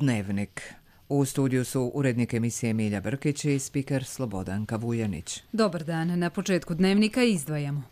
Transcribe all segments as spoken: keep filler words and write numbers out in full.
Dnevnik. U studiju su urednik emisije Milja Brkić i spiker Slobodanka Vujanić. Dobar dan. Na početku Dnevnika izdvajamo.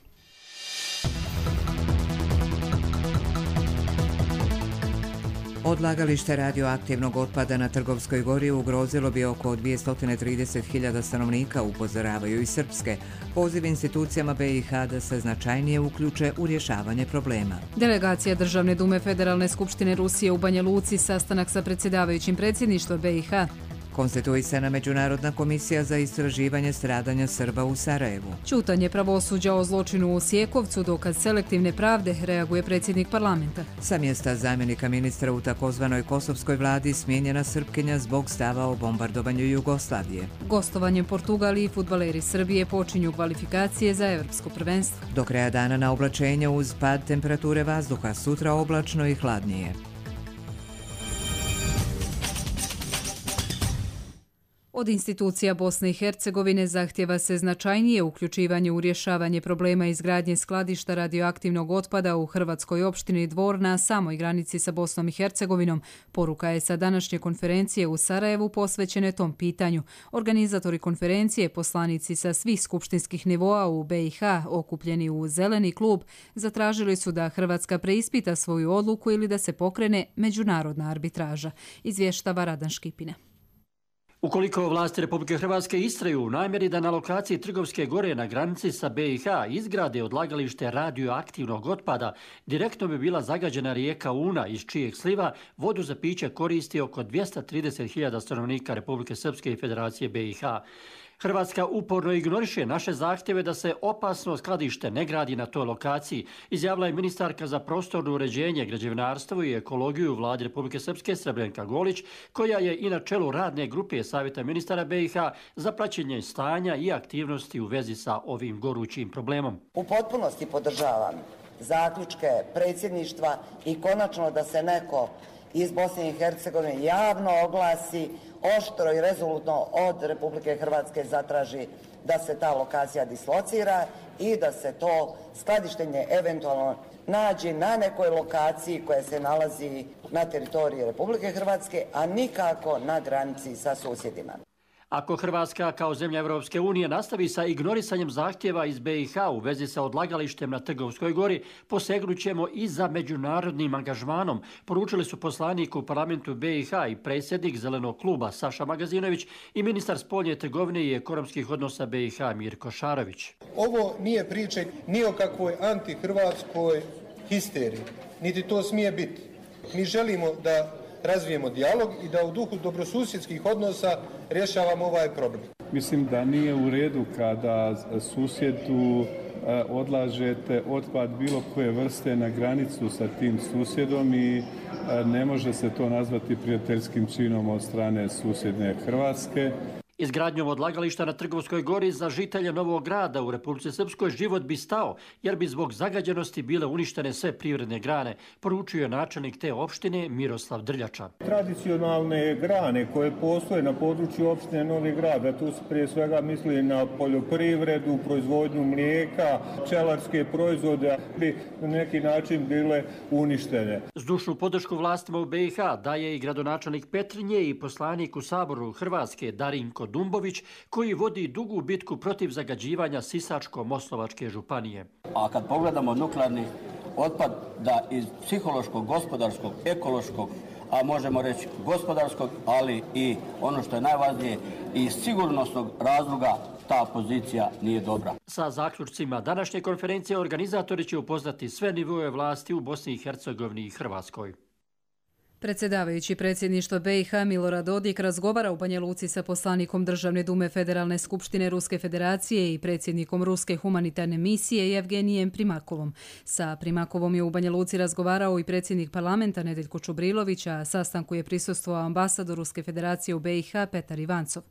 Odlagalište radioaktivnog otpada na Trgovskoj gori ugrozilo bi oko dvjesto trideset hiljada stanovnika, upozoravaju i srpske. Poziv institucijama be i ha da se značajnije uključe u rješavanje problema. Delegacija Državne dume Federalne skupštine Rusije u Banja Luci, sastanak sa predsjedavajućim predsjedništva be i ha. Konstituisana Međunarodna komisija za istraživanje stradanja Srba u Sarajevu. Ćutanje pravosuđa o zločinu u Sjekovcu, dokaz selektivne pravde, reaguje predsjednik parlamenta. Sa mjesta zamjenika ministra u takozvanoj kosovskoj vladi smijenjena Srpkinja zbog stava o bombardovanju Jugoslavije. Gostovanjem Portugaliji i fudbaleri Srbije počinju kvalifikacije za evropsko prvenstvo. Do kraja dana na oblačenje uz pad temperature vazduha, sutra oblačno i hladnije. Od institucija Bosne i Hercegovine zahtjeva se značajnije uključivanje u rješavanje problema izgradnje skladišta radioaktivnog otpada u hrvatskoj opštini Dvor na samoj granici sa Bosnom i Hercegovinom. Poruka je sa današnje konferencije u Sarajevu posvećene tom pitanju. Organizatori konferencije, poslanici sa svih skupštinskih nivoa u be i ha, okupljeni u Zeleni klub, zatražili su da Hrvatska preispita svoju odluku ili da se pokrene međunarodna arbitraža. Izvještava Radan Škipina. Ukoliko vlasti Republike Hrvatske istraju u namjeri da na lokaciji Trgovske gore na granici sa be i ha izgrade odlagalište radioaktivnog otpada, direktno bi bila zagađena rijeka Una, iz čijeg sliva vodu za piće koristi oko dvjesto trideset hiljada stanovnika Republike Srpske i Federacije be i ha. Hrvatska uporno ignoriše naše zahtjeve da se opasno skladište ne gradi na toj lokaciji, izjavila je ministarka za prostorno uređenje, građevinarstvo i ekologiju u vladi Republike Srpske Srebrenka Golić, koja je i na čelu radne grupe Savjeta ministara be i ha za praćenje stanja i aktivnosti u vezi sa ovim gorućim problemom. U potpunosti podržavam zaključke predsjedništva i konačno da se neko iz Bosne i Hercegovine javno oglasi, oštro i rezolutno od Republike Hrvatske zatraži da se ta lokacija dislocira i da se to skladištenje eventualno nađe na nekoj lokaciji koja se nalazi na teritoriji Republike Hrvatske, a nikako na granici sa susjedima. Ako Hrvatska kao zemlja Europske unije nastavi sa ignorisanjem zahtjeva iz be i ha u vezi sa odlagalištem na Trgovskoj gori, posegnućemo i za međunarodnim angažmanom, poručili su poslanik u parlamentu be i ha i predsjednik Zelenog kluba Saša Magazinović i ministar spoljne trgovine i ekonomskih odnosa be i ha Mirko Šarović. Ovo nije priče ni o kakvoj antihrvatskoj histeriji, niti to smije biti. Mi želimo da razvijemo dijalog i da u duhu dobrosusjedskih odnosa rješavamo ovaj problem. Mislim da nije u redu kada susjedu odlažete otpad bilo koje vrste na granicu sa tim susjedom i ne može se to nazvati prijateljskim činom od strane susjedne Hrvatske. Izgradnjom odlagališta na Trgovskoj gori za žitelje Novog Grada u Republici Srpskoj život bi stao, jer bi zbog zagađenosti bile uništene sve privredne grane, poručio je načelnik te opštine Miroslav Drljača. Tradicionalne grane koje postoje na području opštine Novi Grad, a tu se prije svega misli na poljoprivredu, proizvodnju mlijeka, pčelarske proizvode, bi na neki način bile uništene. Zdušnu podršku vlastima u be i ha daje i gradonačelnik Petrinje i poslanik u Saboru Hrvatske Darinko Dumbović, koji vodi dugu bitku protiv zagađivanja Sisačko-Moslavačke županije. A kad pogledamo nuklearni otpad, da iz psihološkog, gospodarskog, ekološkog, a možemo reći gospodarskog, ali i ono što je najvažnije, iz sigurnosnog razloga ta pozicija nije dobra. Sa zaključcima današnje konferencije organizatori će upoznati sve nivoe vlasti u Bosni i Hercegovini i Hrvatskoj. Predsjedavajući predsjedništva be i ha Milorad Dodik razgovara u Banja Luci sa poslanikom Državne dume Federalne skupštine Ruske federacije i predsjednikom Ruske humanitarne misije Jevgenijem Primakovom. Sa Primakovom je u Banja Luci razgovarao i predsjednik parlamenta Nedeljko Čubrilović, a sastanku je prisustvovao ambasador Ruske federacije u be i ha Petar Ivancov.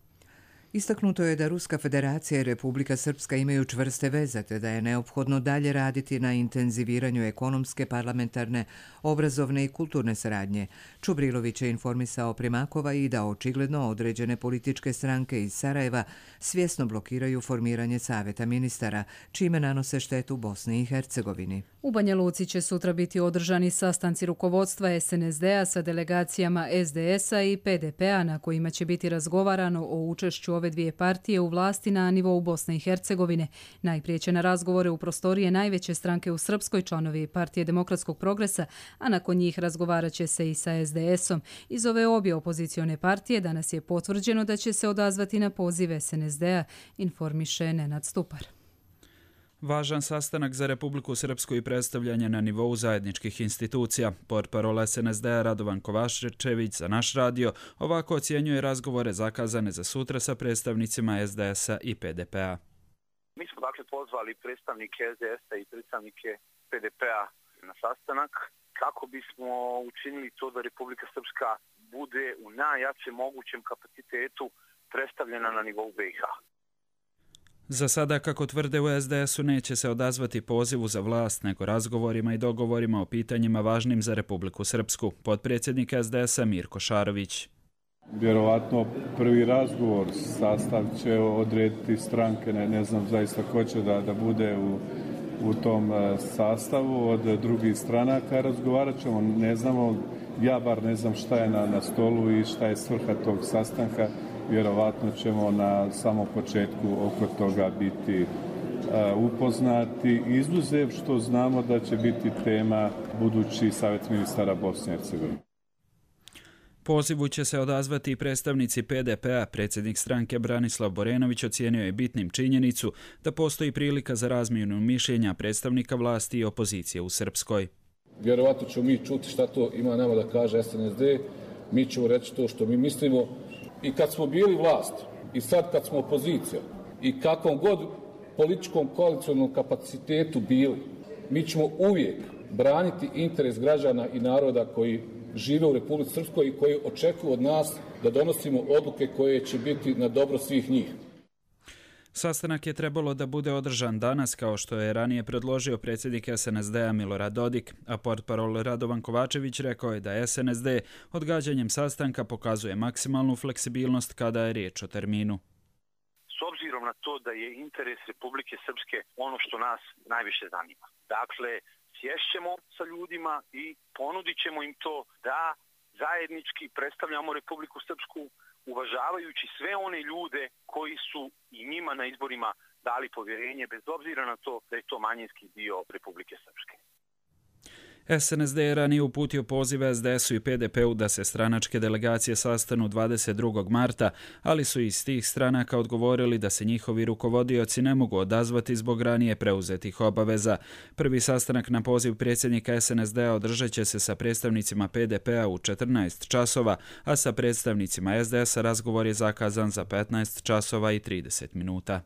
Istaknuto je da Ruska federacija i Republika Srpska imaju čvrste veze, te da je neophodno dalje raditi na intenziviranju ekonomske, parlamentarne, obrazovne i kulturne saradnje. Čubrilović je informisao Primakova i da očigledno određene političke stranke iz Sarajeva svjesno blokiraju formiranje savjeta ministara, čime nanose štetu Bosni i Hercegovini. U Banja Luci će sutra biti održani sastanci rukovodstva es en es de a sa delegacijama es de es a i pe de pe a na kojima će biti razgovarano o učešću ove dvije partije u vlasti na nivou Bosne i Hercegovine. Najprije će na razgovore u prostorije najveće stranke u Srpskoj, članovi Partije demokratskog progresa, a nakon njih razgovarat će se i sa es de esom. Iz ove obje opozicione partije danas je potvrđeno da će se odazvati na poziv es en es de a, informiše Nenad Stupar. Važan sastanak za Republiku Srpsku i predstavljanje na nivou zajedničkih institucija. Portparol es en es de a Radovan Kovačević za Naš radio ovako ocjenjuje razgovore zakazane za sutra sa predstavnicima es de es a i pe de pe a. Mi smo dakle pozvali predstavnike es de es a i predstavnike pe de pe a na sastanak kako bismo učinili to da Republika Srpska bude u najjačem mogućem kapacitetu predstavljena na nivou be i ha. Za sada, kako tvrde u es de esu, neće se odazvati pozivu za vlast, nego razgovorima i dogovorima o pitanjima važnim za Republiku Srpsku. Potpredsjednik es de esa Mirko Šarović. Vjerovatno prvi razgovor, sastav će odrediti stranke, ne, ne znam zaista ko će da, da bude u, u tom sastavu. Od drugih stranaka razgovarat ćemo, ne znamo, ja bar ne znam šta je na, na stolu i šta je svrha tog sastanka. Vjerovatno ćemo na samom početku oko toga biti uh, upoznati, izuzev što znamo da će biti tema budući savjet ministara Bosne i Hercegovine. Pozivu će se odazvati i predstavnici pe de pe a. Predsjednik stranke Branislav Borenović ocijenio je bitnim činjenicu da postoji prilika za razmjenu mišljenja predstavnika vlasti i opozicije u Srpskoj. Vjerovatno ćemo mi čuti šta to ima nama da kaže es en es de, mi ćemo reći to što mi mislimo. I kad smo bili vlast i sad kad smo opozicija i kakvom god političkom koalicionom kapacitetu bili, mi ćemo uvijek braniti interes građana i naroda koji žive u Republici Srpskoj i koji očekuju od nas da donosimo odluke koje će biti na dobro svih njih. Sastanak je trebalo da bude održan danas, kao što je ranije predložio predsjednik es en es de a Milorad Dodik, a portparol Radovan Kovačević rekao je da es en es de odgađanjem sastanka pokazuje maksimalnu fleksibilnost kada je riječ o terminu. S obzirom na to da je interes Republike Srpske ono što nas najviše zanima. Dakle, sješćemo sa ljudima i ponudit ćemo im to da zajednički predstavljamo Republiku Srpsku, uvažavajući sve one ljude koji su i njima na izborima dali povjerenje, bez obzira na to da je to manjinski dio Republike Srpske. es en es de je ranije uputio poziv es de esu i pe de pe u da se stranačke delegacije sastanu dvadeset drugog marta, ali su iz tih stranaka odgovorili da se njihovi rukovodioci ne mogu odazvati zbog ranije preuzetih obaveza. Prvi sastanak na poziv predsjednika es en es de a održat će se sa predstavnicima pe de pe a u četrnaest časova, a sa predstavnicima es de esa razgovor je zakazan za petnaest časova i trideset minuta.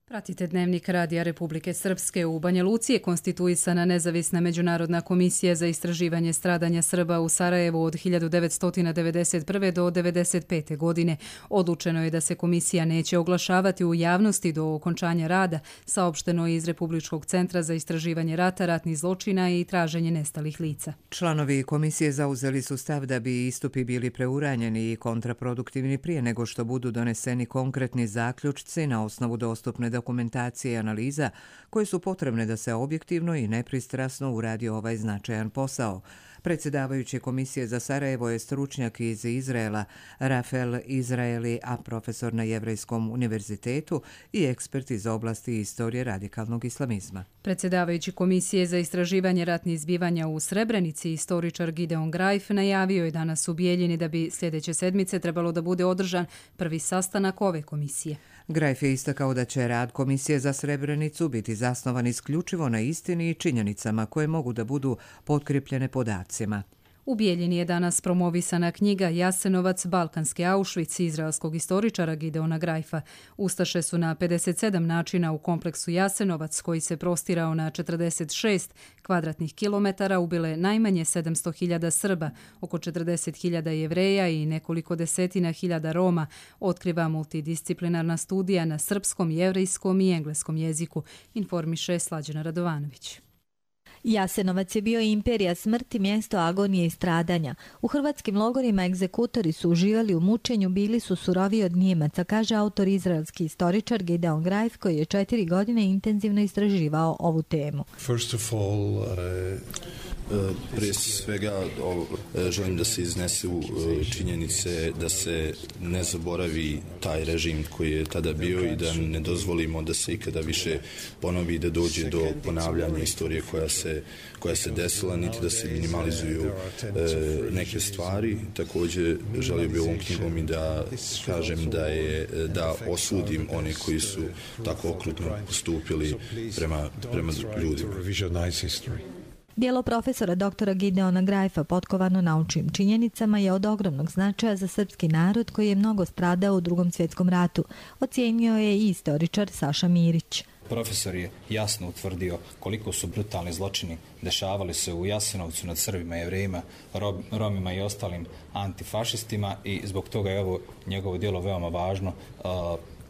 Pratite Dnevnik Radija Republike Srpske. U Banja Luci je konstituisana nezavisna međunarodna komisija za istraživanje stradanja Srba u Sarajevu od hiljadu devetsto devedeset prve. do devedeset pete. godine. Odlučeno je da se komisija neće oglašavati u javnosti do okončanja rada, saopšteno je iz Republičkog centra za istraživanje rata, ratnih zločina i traženje nestalih lica. Članovi komisije zauzeli su stav da bi istupi bili preuranjeni i kontraproduktivni prije nego što budu doneseni konkretni zaključci na osnovu dostupne dokumentacije i analiza koje su potrebne da se objektivno i nepristrasno uradi ovaj značajan posao. Predsjedavajući komisije za Sarajevo je stručnjak iz Izraela Rafael Izraeli, a profesor na Jevrejskom univerzitetu i ekspert iz oblasti istorije radikalnog islamizma. Predsjedavajući komisije za istraživanje ratnih zbivanja u Srebrenici, istoričar Gideon Grajf, najavio je danas u Bijeljini da bi sljedeće sedmice trebalo da bude održan prvi sastanak ove komisije. Grajf je istakao da će rad Komisije za Srebrenicu biti zasnovan isključivo na istini i činjenicama koje mogu da budu potkripljene podacima. U Bijeljini je danas promovisana knjiga Jasenovac, balkanski Auschwitz izraelskog istoričara Gideona Grajfa. Ustaše su na pedeset sedam načina u kompleksu Jasenovac, koji se prostirao na četrdeset šest kvadratnih kilometara, ubile najmanje sedamsto hiljada Srba, oko četrdeset hiljada Jevreja i nekoliko desetina hiljada Roma, otkriva multidisciplinarna studija na srpskom, jevrejskom i engleskom jeziku, informiše Slađana Radovanović. Jasenovac je bio imperija smrti, mjesto agonije i stradanja. U hrvatskim logorima egzekutori su uživali u mučenju, bili su suroviji od Njemaca, kaže autor izraelski istoričar Gideon Grajf, koji je četiri godine intenzivno istraživao ovu temu. First of all, uh... Prije svega želim da se iznesu činjenice da se ne zaboravi taj režim koji je tada bio i da ne dozvolimo da se ikada više ponovi, da dođe do ponavljanja istorije koja se, koja se desila, niti da se minimalizuju neke stvari. Također želio bih ovom knjigom i da kažem da, je, da osudim one koji su tako okrutno postupili prema, prema ljudima. Djelo profesora doktora Gideona Grajfa, potkovano naučnim činjenicama, je od ogromnog značaja za srpski narod koji je mnogo stradao u Drugom svjetskom ratu, ocijenio je i istoričar Saša Mirić. Profesor je jasno utvrdio koliko su brutalni zločini dešavali se u Jasenovcu nad Srbima, Jevrejima, Romima i ostalim antifašistima i zbog toga je ovo njegovo djelo veoma važno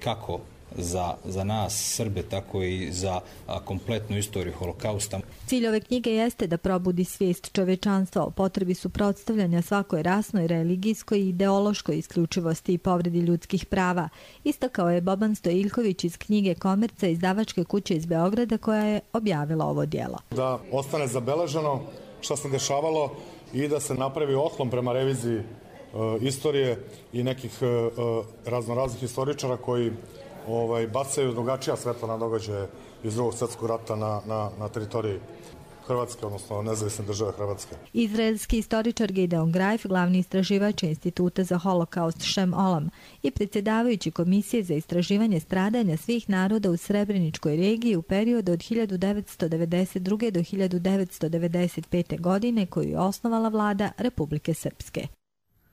kako Za, za nas, Srbe, tako i za a, kompletnu istoriju holokausta. Cilj ove knjige jeste da probudi svijest čovečanstva o potrebi suprotstavljanja svakoj rasnoj, religijskoj i ideološkoj isključivosti i povredi ljudskih prava. Istakao je Boban Stojiljković iz knjige Komerca izdavačke kuće iz Beograda, koja je objavila ovo djelo. Da ostane zabeleženo šta se dešavalo i da se napravi otklon prema reviziji uh, istorije i nekih uh, raznoraznih istoričara koji Ovaj, bacaju drugačija svetla na događaje iz Drugog svjetskog rata na, na, na teritoriji Hrvatske, odnosno nezavisne države Hrvatske. Izraelski istoričar Gideon Grajf, glavni istraživač Instituta za holokaust Shem Olam i predsjedavajući Komisije za istraživanje stradanja svih naroda u Srebreničkoj regiji u periodu od hiljadu devetsto devedeset druge. do hiljadu devetsto devedeset pete. godine, koju je osnovala vlada Republike Srpske.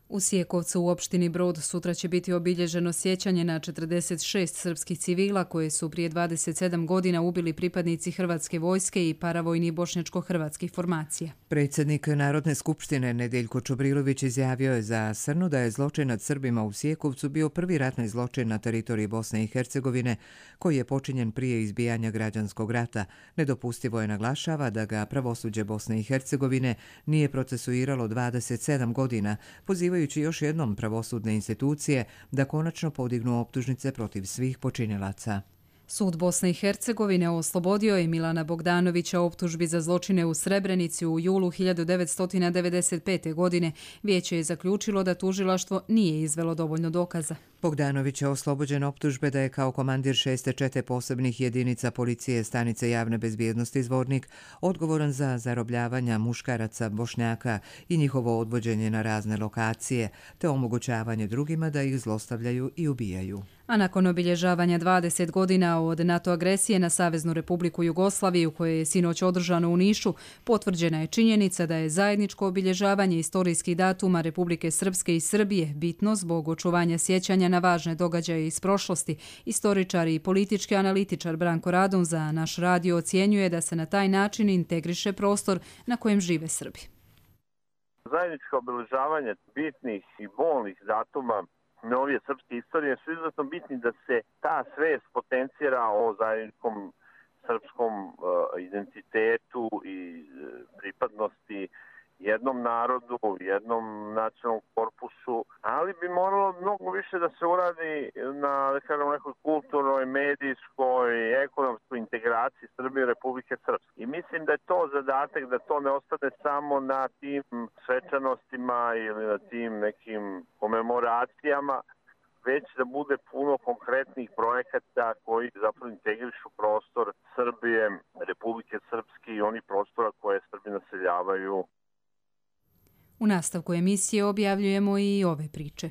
U Sjekovcu u opštini Brod sutra će biti obilježeno sjećanje na četrdeset šest srpskih civila koje su prije dvadeset sedam godina ubili pripadnici Hrvatske vojske i paravojnih bošnjačko-hrvatskih formacija. Predsjednik Narodne skupštine Nedeljko Čobrilović izjavio je za Srnu da je zločin nad Srbima u Sjekovcu bio prvi ratni zločin na teritoriji Bosne i Hercegovine koji je počinjen prije izbijanja građanskog rata. Nedopustivo je naglašava da ga pravosuđe Bosne i Hercegovine nije procesuiralo dvadeset sedam godina, pozivajući još jednom pravosudne institucije da konačno podignu optužnice protiv svih počinilaca. Sud Bosne i Hercegovine oslobodio je Milana Bogdanovića optužbi za zločine u Srebrenici u julu hiljadu devetsto devedeset pete. godine. Vijeće je zaključilo da tužilaštvo nije izvelo dovoljno dokaza. Bogdanović je oslobođen optužbe da je kao komandir šeste čete posebnih jedinica policije stanice javne bezbjednosti Zvornik odgovoran za zarobljavanja muškaraca Bošnjaka i njihovo odvođenje na razne lokacije, te omogućavanje drugima da ih zlostavljaju i ubijaju. A nakon obilježavanja dvadeset godina od NATO agresije na Saveznu Republiku Jugoslaviju, koje je sinoć održano u Nišu, potvrđena je činjenica da je zajedničko obilježavanje istorijskih datuma Republike Srpske i Srbije bitno zbog očuvanja sjećanja na važne događaje iz prošlosti. Istoričar i politički analitičar Branko Radun za naš radio ocjenjuje da se na taj način integriše prostor na kojem žive Srbi. Zajedničko obilježavanje bitnih i bolnih datuma novije srpske istorije su izuzetno bitni da se ta svest potencira o zajedničkom srpskom uh, identitetu i uh, pripadnosti jednom narodu, jednom nacionalnom korpusu, ali bi moralo mnogo više da se uradi na, da kažem, nekoj kulturnoj, medijskoj, ekonomskoj integraciji Srbije i Republike Srpske. I mislim da je to zadatak, da to ne ostane samo na tim svečanostima ili na tim nekim komemoracijama, već da bude puno konkretnih projekata koji zapravo integrišu prostor Srbije, Republike Srpske i onih prostora koje Srbi naseljavaju. U nastavku emisije objavljujemo i ove priče.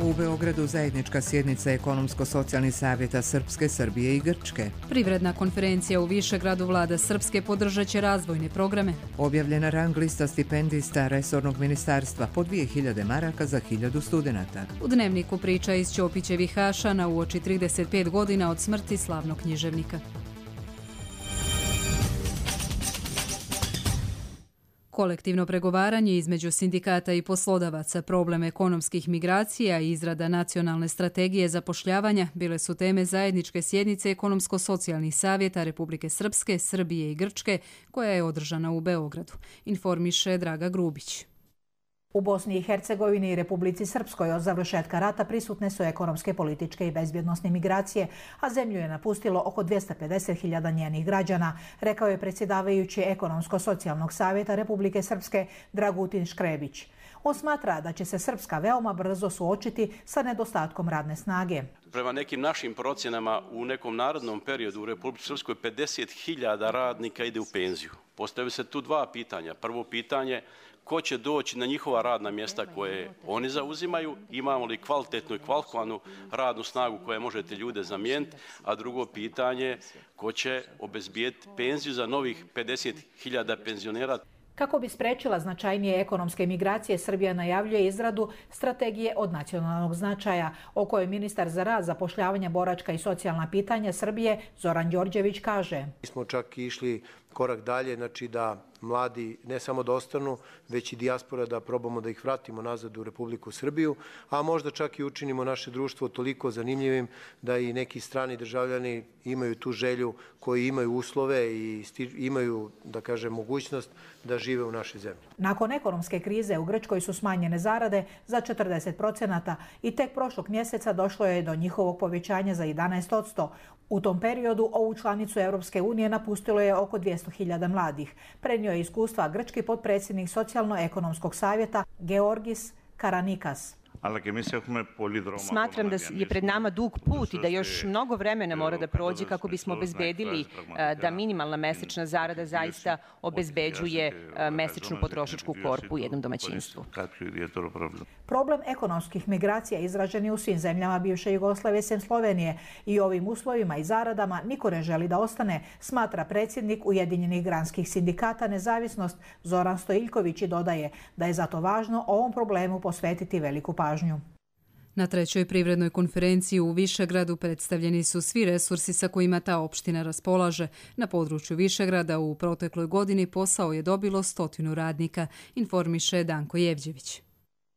U Beogradu zajednička sjednica ekonomsko-socijalnih savjeta Srpske, Srbije i Grčke. Privredna konferencija u Višegradu vlada Srpske podržat će razvojne programe. Objavljena rang lista stipendista resornog ministarstva po dvije hiljade maraka za hiljadu studenata. U Dnevniku priča iz Ćopićevih Hašana uoči trideset pet godina od smrti slavnog književnika. Kolektivno pregovaranje između sindikata i poslodavaca, problem ekonomskih migracija i izrada nacionalne strategije zapošljavanja bile su teme zajedničke sjednice ekonomsko-socijalnih savjeta Republike Srpske, Srbije i Grčke, koja je održana u Beogradu, informiše Draga Grubić. U Bosni i Hercegovini i Republici Srpskoj od završetka rata prisutne su ekonomske, političke i bezbjednosne migracije, a zemlju je napustilo oko dvjesto pedeset hiljada njenih građana, rekao je predsjedavajući Ekonomsko-socijalnog savjeta Republike Srpske Dragutin Škrebić. On smatra da će se Srpska veoma brzo suočiti sa nedostatkom radne snage. Prema nekim našim procjenama u nekom narodnom periodu u Republici Srpskoj pedeset hiljada radnika ide u penziju. Postavljaju se tu dva pitanja. Prvo pitanje, ko će doći na njihova radna mjesta koje oni zauzimaju, imamo li kvalitetnu i kvalifikovanu radnu snagu koja može te ljude zamijeniti, a drugo pitanje, ko će obezbijeti penziju za novih pedeset hiljada penzionera. Kako bi sprečila značajnije ekonomske migracije, Srbija najavljuje izradu strategije od nacionalnog značaja, o kojoj ministar za rad, zapošljavanje, boračka i socijalna pitanja Srbije Zoran Đorđević kaže. Mi smo čak išli korak dalje, znači da mladi ne samo da ostanu, već i dijaspora da probamo da ih vratimo nazad u Republiku Srbiju, a možda čak i učinimo naše društvo toliko zanimljivim da i neki strani državljani imaju tu želju, koji imaju uslove i imaju, da kažem, mogućnost da žive u našoj zemlji. Nakon ekonomske krize u Grčkoj su smanjene zarade za četrdeset procenata i tek prošlog mjeseca došlo je do njihovog povećanja za jedanaest posto. U tom periodu ovu članicu Europske unije napustilo je oko dvjesto hiljada mladih. Prenio je iskustva grčki potpredsjednik socijalno-ekonomskog savjeta Georgis Karanikas. Smatram da je pred nama dug put i da još mnogo vremena mora da prođe kako bismo obezbedili da minimalna mesečna zarada zaista obezbeđuje mesečnu potrošačku korpu u jednom domaćinstvu. Problem ekonomskih migracija izražen je u svim zemljama bivše Jugoslavije sem Slovenije i ovim uslovima i zaradama niko ne želi da ostane, smatra predsjednik Ujedinjenih granskih sindikata Nezavisnost Zoran Stojiljković i dodaje da je zato važno ovom problemu posvetiti veliku pažnju. Na trećoj privrednoj konferenciji u Višegradu predstavljeni su svi resursi sa kojima ta opština raspolaže. Na području Višegrada u protekloj godini posao je dobilo stotinu radnika, informiše Danko Jevđević.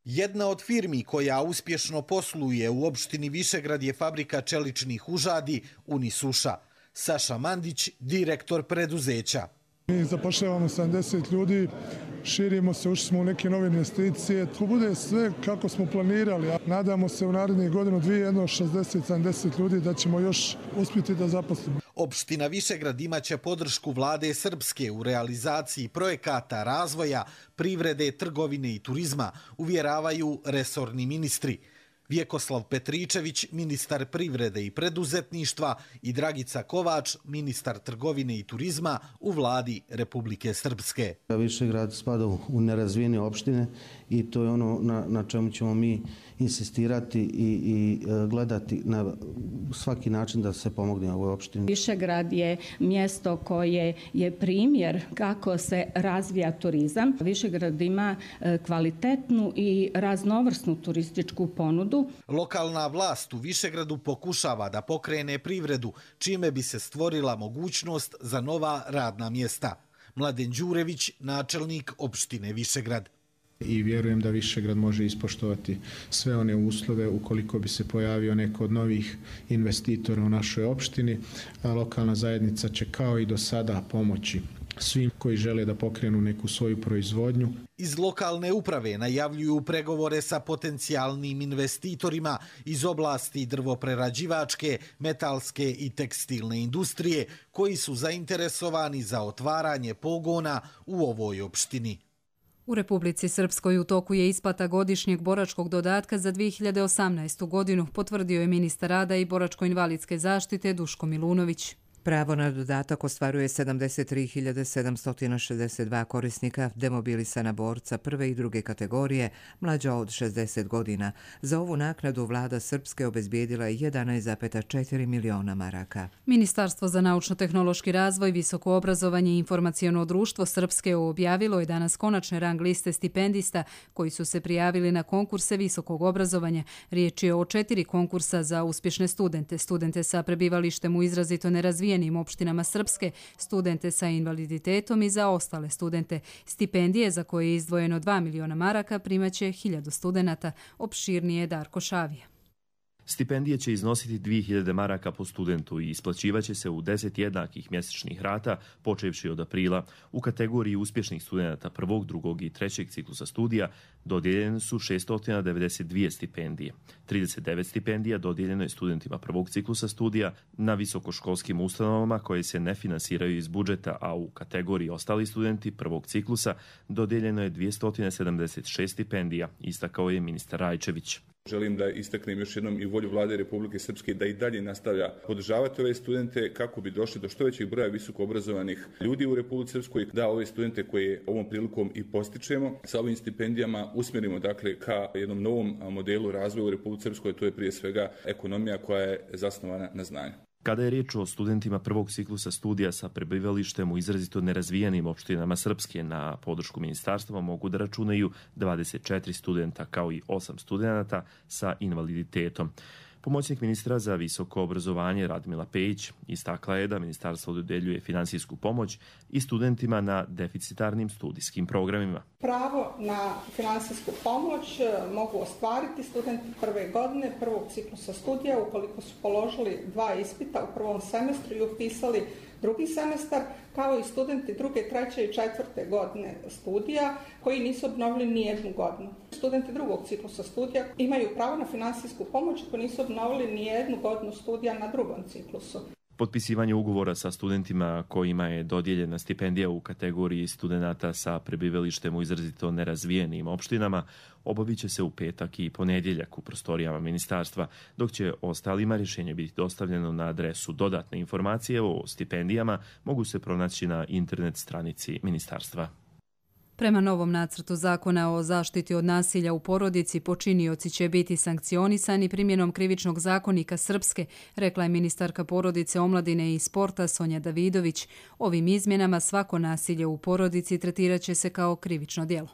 Jedna od firmi koja uspješno posluje u opštini Višegrad je fabrika čeličnih užadi Unisuša. Saša Mandić, direktor preduzeća. Mi zapošljavamo sedamdeset ljudi, širimo se, ušli smo u neke nove investicije. To bude sve kako smo planirali. Nadamo se u narednih godinu dvije, jedno šezdeset sedamdeset ljudi da ćemo još uspjeti da zaposlimo. Opština Višegrad imaće podršku vlade Srpske u realizaciji projekata razvoja, privrede, trgovine i turizma, uvjeravaju resorni ministri. Vjekoslav Petričević, ministar privrede i preduzetništva, i Dragica Kovač, ministar trgovine i turizma u vladi Republike Srpske. Višegrad spada u nerazvijene opštine i to je ono na, na čemu ćemo mi insistirati i, i gledati na svaki način da se pomogne ovoj opštini. Višegrad je mjesto koje je primjer kako se razvija turizam. Višegrad ima kvalitetnu i raznovrsnu turističku ponudu. Lokalna vlast u Višegradu pokušava da pokrene privredu, čime bi se stvorila mogućnost za nova radna mjesta. Mladen Đurević, načelnik opštine Višegrad. I vjerujem da Višegrad može ispoštovati sve one uslove ukoliko bi se pojavio neko od novih investitora u našoj opštini. Lokalna zajednica će kao i do sada pomoći svim koji žele da pokrenu neku svoju proizvodnju. Iz lokalne uprave najavljuju pregovore sa potencijalnim investitorima iz oblasti drvoprerađivačke, metalske i tekstilne industrije koji su zainteresovani za otvaranje pogona u ovoj opštini. U Republici Srpskoj u toku je isplata godišnjeg boračkog dodatka za dvije hiljade osamnaestu godinu, potvrdio je ministar rada i boračko-invalidske zaštite Duško Milunović. Pravo na dodatak ostvaruje sedamdeset tri hiljade sedamsto šezdeset dva korisnika, demobilisana borca prve i druge kategorije, mlađa od šezdeset godina. Za ovu naknadu vlada Srpske obezbijedila je jedanaest zarez četiri miliona maraka. Ministarstvo za naučno-tehnološki razvoj, visoko obrazovanje i informaciono društvo Srpske objavilo je danas konačne rang liste stipendista koji su se prijavili na konkurse visokog obrazovanja. Riječ je o četiri konkursa za uspješne studente, studente sa prebivalištem u izrazito nerazvijenim opštinama Srpske, studente sa invaliditetom i za ostale studente. Stipendije za koje je izdvojeno dva miliona maraka primaće hiljadu studenata, opširnije Darko Šavija. Stipendije će iznositi dvije hiljade maraka po studentu i isplaćivaće se u deset jednakih mjesečnih rata, počevši od aprila. U kategoriji uspješnih studenata prvog, drugog i trećeg ciklusa studija dodijeljene su šesto devedeset dvije stipendije. trideset devet stipendija dodijeljeno je studentima prvog ciklusa studija na visokoškolskim ustanovama koje se ne finansiraju iz budžeta, a u kategoriji ostali studenti prvog ciklusa dodijeljeno je dvjesto sedamdeset šest stipendija, istakao je ministar Rajčević. Želim da istaknem još jednom i volju vlade Republike Srpske da i dalje nastavlja podržavati ove studente kako bi došli do što većeg broja visoko obrazovanih ljudi u Republici Srpskoj, da ove studente koje ovom prilikom i postičemo sa ovim stipendijama usmjerimo dakle ka jednom novom modelu razvoja u Republici Srpskoj, to je prije svega ekonomija koja je zasnovana na znanju. Kada je riječ o studentima prvog ciklusa studija sa prebivalištem u izrazito nerazvijenim opštinama Srpske, na podršku ministarstva mogu da računaju dvadeset četiri studenta kao i osam studenata sa invaliditetom. Pomoćnik ministra za visoko obrazovanje Radmila Pejić istakla je da ministarstvo dodeljuje finansijsku pomoć i studentima na deficitarnim studijskim programima. Pravo na finansijsku pomoć mogu ostvariti studenti prve godine prvog ciklusa studija ukoliko su položili dva ispita u prvom semestru i upisali drugi semestar, kao i studenti druge, treće i četvrte godine studija koji nisu obnovili ni jednu godinu. Studenti drugog ciklusa studija imaju pravo na finansijsku pomoć ako nisu obnovili ni jednu godinu studija na drugom ciklusu. Potpisivanje ugovora sa studentima kojima je dodijeljena stipendija u kategoriji studenata sa prebivalištem u izrazito nerazvijenim opštinama obavit će se u petak i ponedjeljak u prostorijama ministarstva, dok će ostalima rješenje biti dostavljeno na adresu. Dodatne informacije o stipendijama mogu se pronaći na internet stranici ministarstva. Prema novom nacrtu zakona o zaštiti od nasilja u porodici, počinioci će biti sankcionisani primjenom krivičnog zakonika Srpske, rekla je ministarka porodice, omladine i sporta Sonja Davidović. Ovim izmjenama svako nasilje u porodici tretirat će se kao krivično djelo.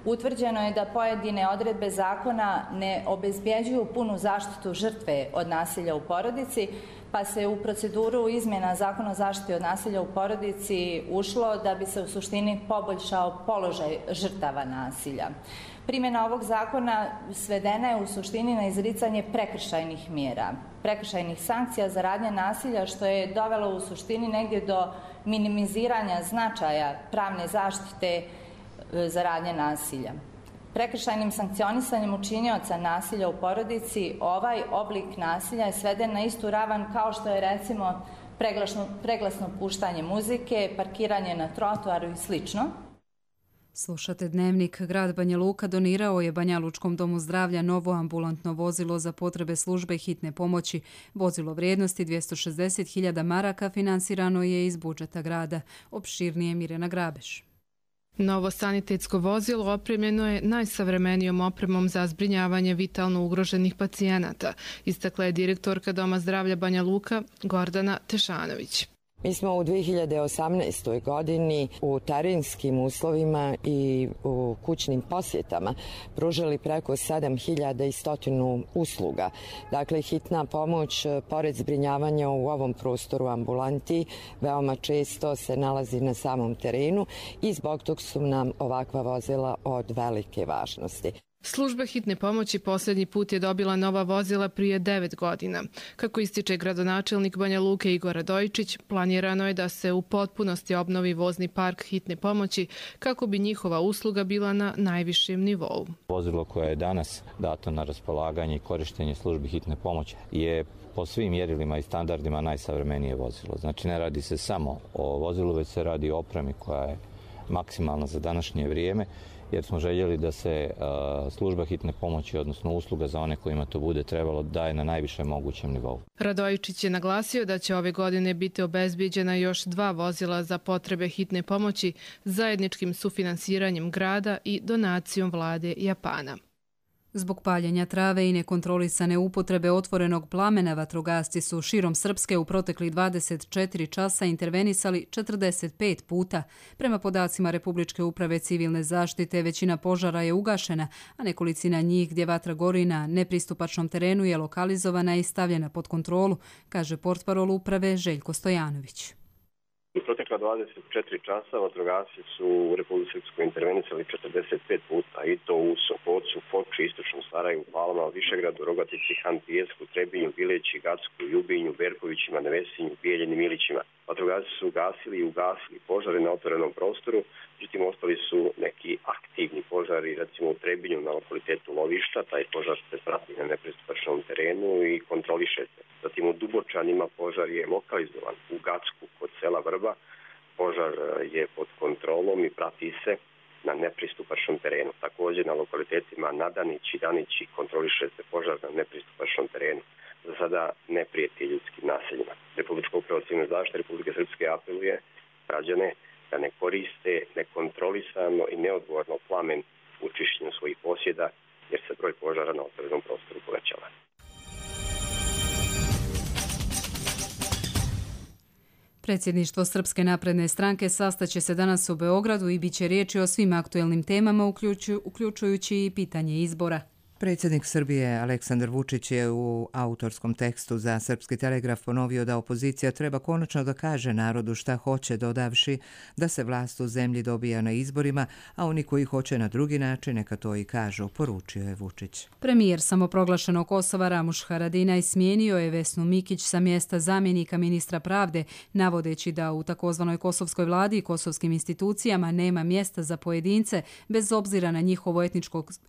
Utvrđeno je da pojedine odredbe zakona ne obezbjeđuju punu zaštitu žrtve od nasilja u porodici, pa se u proceduru izmjena Zakona o zaštiti od nasilja u porodici ušlo da bi se u suštini poboljšao položaj žrtava nasilja. Primjena ovog zakona svedena je u suštini na izricanje prekršajnih mjera, prekršajnih sankcija za radnje nasilja, što je dovelo u suštini negdje do minimiziranja značaja pravne zaštite za radnje nasilja. Prekršajnim sankcionisanjem učinioca nasilja u porodici ovaj oblik nasilja je sveden na istu ravan kao što je recimo preglasno, preglasno puštanje muzike, parkiranje na trotoaru i slično. Slušate Dnevnik. Grad Banja Luka donirao je Banjalučkom domu zdravlja novo ambulantno vozilo za potrebe službe hitne pomoći. Vozilo vrijednosti dvjesto šezdeset hiljada maraka finansirano je iz budžeta grada. Opširnije Mirjana Grabeš. Novo sanitetsko vozilo opremljeno je najsavremenijom opremom za zbrinjavanje vitalno ugroženih pacijenata, istakla je direktorka Doma zdravlja Banja Luka Gordana Tešanović. Mi smo u dvije hiljade osamnaestoj godini u terenskim uslovima i u kućnim posjetama pružili preko sedam hiljada sto usluga. Dakle, hitna pomoć, pored zbrinjavanja u ovom prostoru ambulanti, veoma često se nalazi na samom terenu i zbog tog su nam ovakva vozila od velike važnosti. Služba hitne pomoći posljednji put je dobila nova vozila prije devet godina. Kako ističe gradonačelnik Banja Luke Igor Radojičić, planirano je da se u potpunosti obnovi vozni park hitne pomoći kako bi njihova usluga bila na najvišem nivou. Vozilo koje je danas dato na raspolaganje i korištenje službi hitne pomoći je po svim mjerilima i standardima najsavremenije vozilo. Znači ne radi se samo o vozilu, već se radi o opremi koja je maksimalna za današnje vrijeme jer smo željeli da se služba hitne pomoći, odnosno usluga za one kojima to bude trebalo, daje na najvišem mogućem nivou. Radojičić je naglasio da će ove godine biti obezbijeđena još dva vozila za potrebe hitne pomoći zajedničkim sufinansiranjem grada i donacijom vlade Japana. Zbog paljenja trave i nekontrolisane upotrebe otvorenog plamena, vatrogasci su širom Srpske u proteklih dvadeset četiri časa intervenisali četrdeset pet puta. Prema podacima Republičke uprave civilne zaštite, većina požara je ugašena, a nekolicina njih gdje vatra gori na nepristupačnom terenu je lokalizovana i stavljena pod kontrolu, kaže portparol uprave Željko Stojanović. U protekla dvadeset četiri časa vatrogasci su u Republici Srpskoj intervenisali četrdeset pet puta, i to u Sopocu, Foči, Istočnom Sarajevu, Palama, Višegradu, Rogatici, Han Pijesku, Trebinju, Bileći, Gacku, Ljubinju, Berkovićima, Nevesinju, Bijeljenim, Ilićima. Vatrogasci su ugasili i ugasili požare na otvorenom prostoru, međutim ostali su neki aktivni požari, recimo u Trebinju na lokalitetu Lovišta, taj požar se prati na nepristupačnom terenu i kontroliše se. Zatim u Dubočanima požar je lokalizovan u Gacku kod sela Vrba, požar je pod kontrolom i prati se na nepristupačnom terenu. Također na lokalitetima Nadanić i Danići kontroliše se požar na nepristupačnom terenu. Za sada ne prijeti ljudskim naseljima. Republička uprava civilne zaštite Republike Srpske apeluje građane da ne koriste nekontrolisano i neodgovorno plamen u čišćenju svojih posjeda, jer se broj požara na otvorenom prostoru povećava. Predsjedništvo Srpske napredne stranke sastaće se danas u Beogradu i bit će riječi o svim aktuelnim temama, uključujući i pitanje izbora. Predsjednik Srbije Aleksandar Vučić je u autorskom tekstu za Srpski telegraf ponovio da opozicija treba konačno da kaže narodu šta hoće, dodavši da se vlast u zemlji dobija na izborima, a oni koji hoće na drugi način neka to i kažu, poručio je Vučić. Premijer samoproglašenog Kosova Ramuš Haradinaj smijenio je Vesnu Mikić sa mjesta zamjenika ministra pravde, navodeći da u takozvanoj kosovskoj vladi i kosovskim institucijama nema mjesta za pojedince bez obzira na njihovu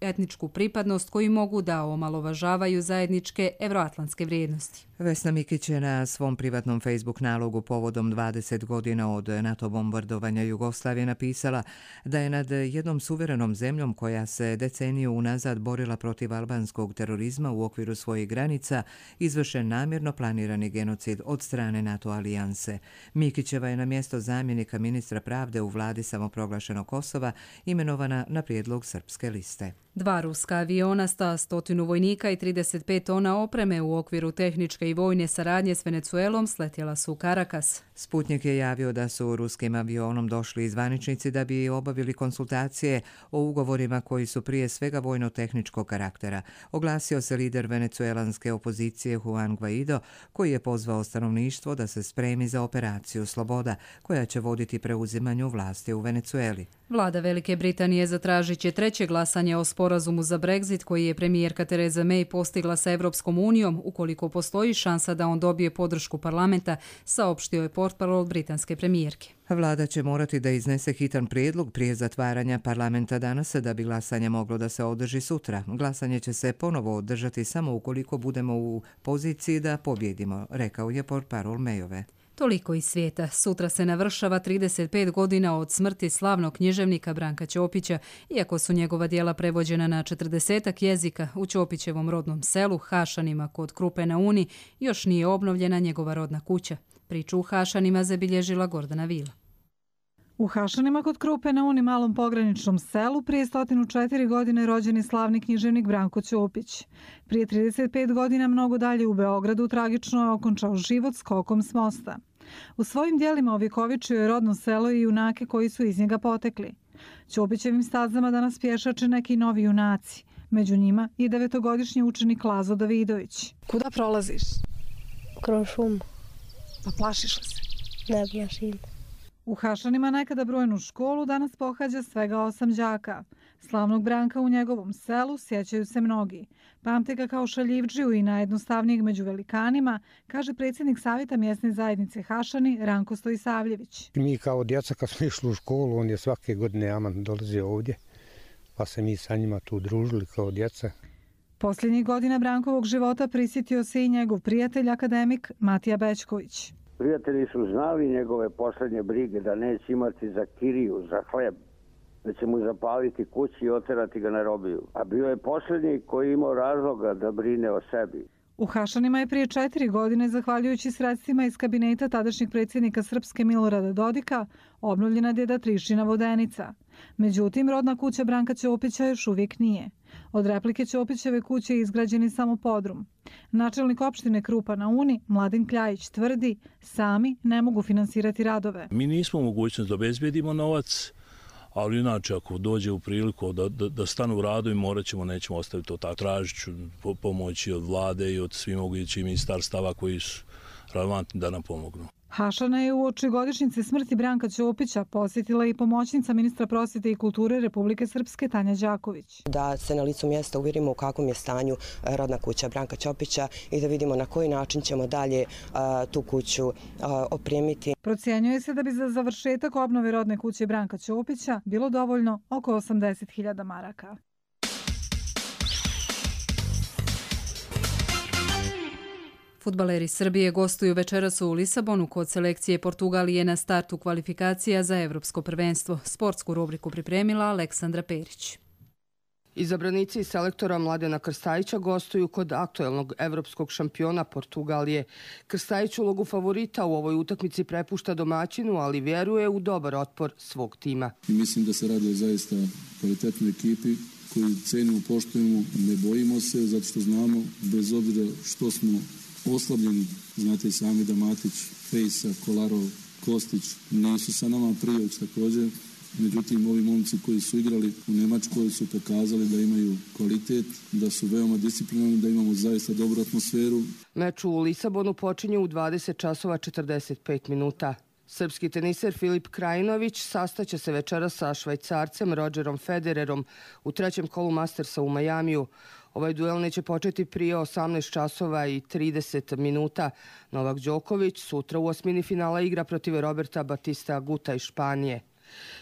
etničku pripadnost koji mogu da omalovažavaju zajedničke evroatlantske vrijednosti. Vesna Mikić je na svom privatnom Facebook nalogu povodom dvadeset godina od NATO bombardovanja Jugoslavije napisala da je nad jednom suverenom zemljom koja se deceniju unazad borila protiv albanskog terorizma u okviru svojih granica izvršen namjerno planirani genocid od strane NATO alijanse. Mikićeva je na mjesto zamjenika ministra pravde u vladi samoproglašenog Kosova imenovana na prijedlog Srpske liste. Dva ruska aviona sta stotinu vojnika i trideset pet tona opreme u okviru tehničke i vojne saradnje s Venecuelom sletjela su u Karakas. Sputnik je javio da su ruskim avionom došli zvaničnici da bi obavili konsultacije o ugovorima koji su prije svega vojno-tehničkog karaktera. Oglasio se lider venecuelanske opozicije Juan Guaido, koji je pozvao stanovništvo da se spremi za operaciju Sloboda, koja će voditi preuzimanju vlasti u Venecueli. Vlada Velike Britanije zatražit će treće glasanje o sporazumu za Brexit koji je premijerka Theresa May postigla sa Evropskom unijom, ukoliko postoji šansa da on dobije podršku parlamenta, saopštio je portparol britanske premijerke. Vlada će morati da iznese hitan prijedlog prije zatvaranja parlamenta danas da bi glasanje moglo da se održi sutra. Glasanje će se ponovo održati samo ukoliko budemo u poziciji da pobjedimo, rekao je portparol Mayove. Toliko iz svijeta. Sutra se navršava trideset pet godina od smrti slavnog književnika Branka Ćopića, iako su njegova djela prevođena na četrdesetak jezika. U Ćopićevom rodnom selu, Hašanima kod Krupe na Uni, još nije obnovljena njegova rodna kuća. Priču u Hašanima zabilježila Gordana Vila. U Hašanima kod Krupe na Uni, malom pograničnom selu, prije stotinu četiri godine rođen je slavni književnik Branko Ćopić. Prije trideset pet godina mnogo dalje u Beogradu tragično je okončao život skokom s mosta. U svojim dijelima ovjekovičio je rodno selo i junake koji su iz njega potekli. Ćopićevim stazama danas pješače neki novi junaci. Među njima i devetogodišnji učenik Lazo Davidović. Kuda prolaziš? Kroz šumu. Pa plašiš li se? Ne plašim. U Hašanima nekada brojnu školu danas pohađa svega osam đaka. Slavnog Branka u njegovom selu sjećaju se mnogi. Pamte ga kao šaljivdžiju i najjednostavnijeg među velikanima, kaže predsjednik savjeta mjesne zajednice Hašani Ranko Stojisavljević. Mi kao djeca kad smo išli u školu, on je svake godine aman dolazio ovdje, pa se mi sa njima tu družili kao djeca. Posljednjih godina Brankovog života prisjetio se i njegov prijatelj akademik Matija Bećković. Prijatelji su znali njegove posljednje brige da neće imati za kiriju, za hleb, da će mu zapaliti kući i oterati ga na robiju. A bio je posljednji koji imao razloga da brine o sebi. U Hašanima je prije četiri godine, zahvaljujući sredstvima iz kabineta tadašnjeg predsjednika Srpske Milorada Dodika, obnovljena djeda Trišina vodenica. Međutim, rodna kuća Branka Ćopića još uvijek nije. Od replike Ćopićeve kuće je izgrađen samo podrum. Načelnik opštine Krupa na Uni, Mladen Kljajić, tvrdi sami ne mogu finansirati radove. Mi nismo u mogućnosti da obezbedimo novac, ali inače ako dođe u priliku da, da, da stanu u radu i morat ćemo, nećemo ostaviti to tako. Tražit ću pomoći od vlade i od svih mogućih ministarstava koji su relevantni da nam pomognu. Hašana je u oči godišnjice smrti Branka Ćopića posjetila i pomoćnica ministra prosvjete i kulture Republike Srpske Tanja Đaković. Da se na licu mjesta uvjerimo u kakvom je stanju rodna kuća Branka Ćopića i da vidimo na koji način ćemo dalje a, tu kuću a, opremiti. Procjenjuje se da bi za završetak obnove rodne kuće Branka Ćopića bilo dovoljno oko osamdeset hiljada maraka. Fudbaleri Srbije gostuju večeras u Lisabonu kod selekcije Portugalije na startu kvalifikacija za Evropsko prvenstvo. Sportsku rubriku pripremila Aleksandra Perić. Izabranici selektora Mladena Krstajića gostuju kod aktuelnog evropskog šampiona Portugalije. Krstajić ulogu favorita u ovoj utakmici prepušta domaćinu, ali vjeruje u dobar otpor svog tima. I mislim da se radi o zaista kvalitetnoj ekipi koju cenimo, poštujemo, ne bojimo se, zato što znamo, bez obzira što smo oslabljeni, znate i sami da Matić, Fejsa, Kolarov, Kostić nisu sa nama, Prijović također. Međutim, ovi momci koji su igrali u Nemačkoj su pokazali da imaju kvalitet, da su veoma disciplinarni, da imamo zaista dobru atmosferu. Meč u Lisabonu počinje u dvadeset časova četrdeset pet minuta. Srpski teniser Filip Krajinović sastaće se večera sa Švajcarcem Rodgerom Federerom u trećem kolu Mastersa u Majamiju. Ovaj duel neće početi prije osamnaest časova i trideset minuta. Novak Đoković sutra u osmini finala igra protiv Roberta Batista Aguta iz Španije.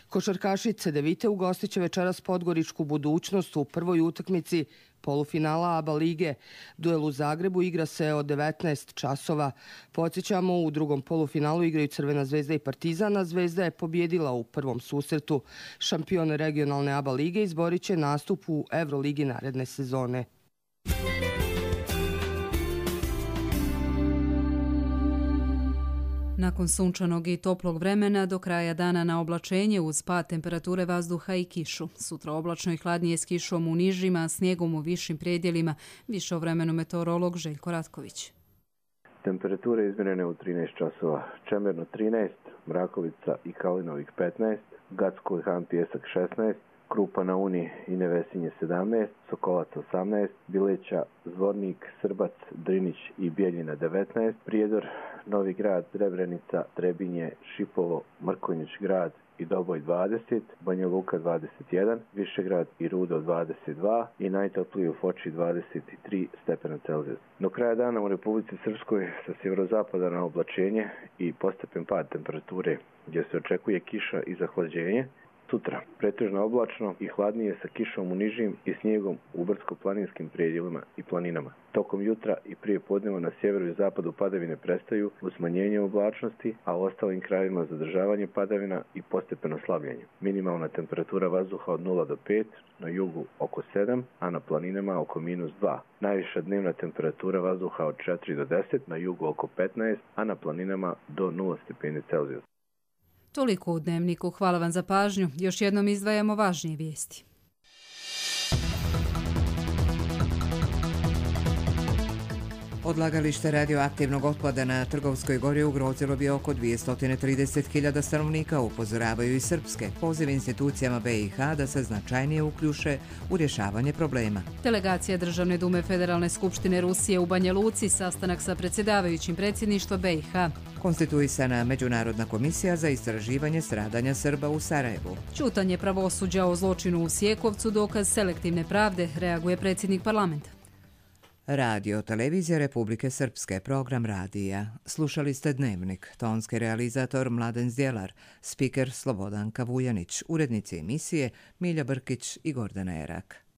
Košarkaši Cedevite ugostit će večeras Podgoričku Budućnost u prvoj utakmici polufinala ABA lige. Duel u Zagrebu igra se od devetnaest časova. Podsjećamo, u drugom polufinalu igraju Crvena zvezda i Partizan, a Zvezda je pobjedila u prvom susretu. Šampion regionalne ABA lige izborit će nastup u Evroligi naredne sezone. Nakon sunčanog i toplog vremena, do kraja dana na oblačenje uz pad temperature vazduha i kišu. Sutra oblačno i hladnije s kišom u nižima, snijegom u višim predjelima. Više o vremenu meteorolog Željko Ratković. Temperature izmjerene u trinaest časova. Čemerno trinaest, Mrakovica i Kalinovik petnaest, Gacko i Han Pjesak šesnaest, Krupa na Uni i Nevesinje sedamnaest, Sokolac osamnaest, Bileća, Zvornik, Srbac, Drinić i Bijeljina devetnaest, Prijedor, Novi Grad, Srebrenica, Trebinje, Šipovo, Mrkonjić grad i Doboj dvadeset, Banja Luka dvadeset jedan, Višegrad i Rudo dvadeset dva i najtopliji u Foči dvadeset tri stepena Celzijusa. Do kraja dana u Republici Srpskoj sa sjeverozapada na oblačenje i postepen pad temperature gdje se očekuje kiša i zahlađenje. Sutra pretežno oblačno i hladnije sa kišom u nižim i snijegom u brdsko-planinskim predjelima i planinama. Tokom jutra i prije podneva na sjeveru i zapadu padavine prestaju uz smanjenje oblačnosti, a u ostalim krajevima zadržavanje padavina i postepeno slabljenje. Minimalna temperatura vazduha od nula do pet, na jugu oko sedam, a na planinama oko minus dva. Najviša dnevna temperatura vazduha od četiri do deset, na jugu oko petnaest, a na planinama do nula stepeni Celzijusa. Toliko u Dnevniku. Hvala vam za pažnju. Još jednom izdvajamo važnije vijesti. Odlagalište radioaktivnog otpada na Trgovskoj gori ugrozilo bi oko dvjesto trideset hiljada stanovnika, upozoravaju i srpske. Poziv institucijama be i ha da se značajnije uključe u rješavanje problema. Delegacija Državne dume Federalne skupštine Rusije u Banja Luci, sastanak sa predsjedavajućim predsjedništva be i ha. Konstituisana Međunarodna komisija za istraživanje stradanja Srba u Sarajevu. Ćutanje pravosuđa o zločinu u Sjekovcu dokaz selektivne pravde, reaguje predsjednik parlamenta. Radio Televizija Republike Srpske, program radija. Slušali ste Dnevnik, tonski realizator Mladen Zdjelar, spiker Slobodanka Vujanić, urednici emisije Milja Brkić i Gordana Erak.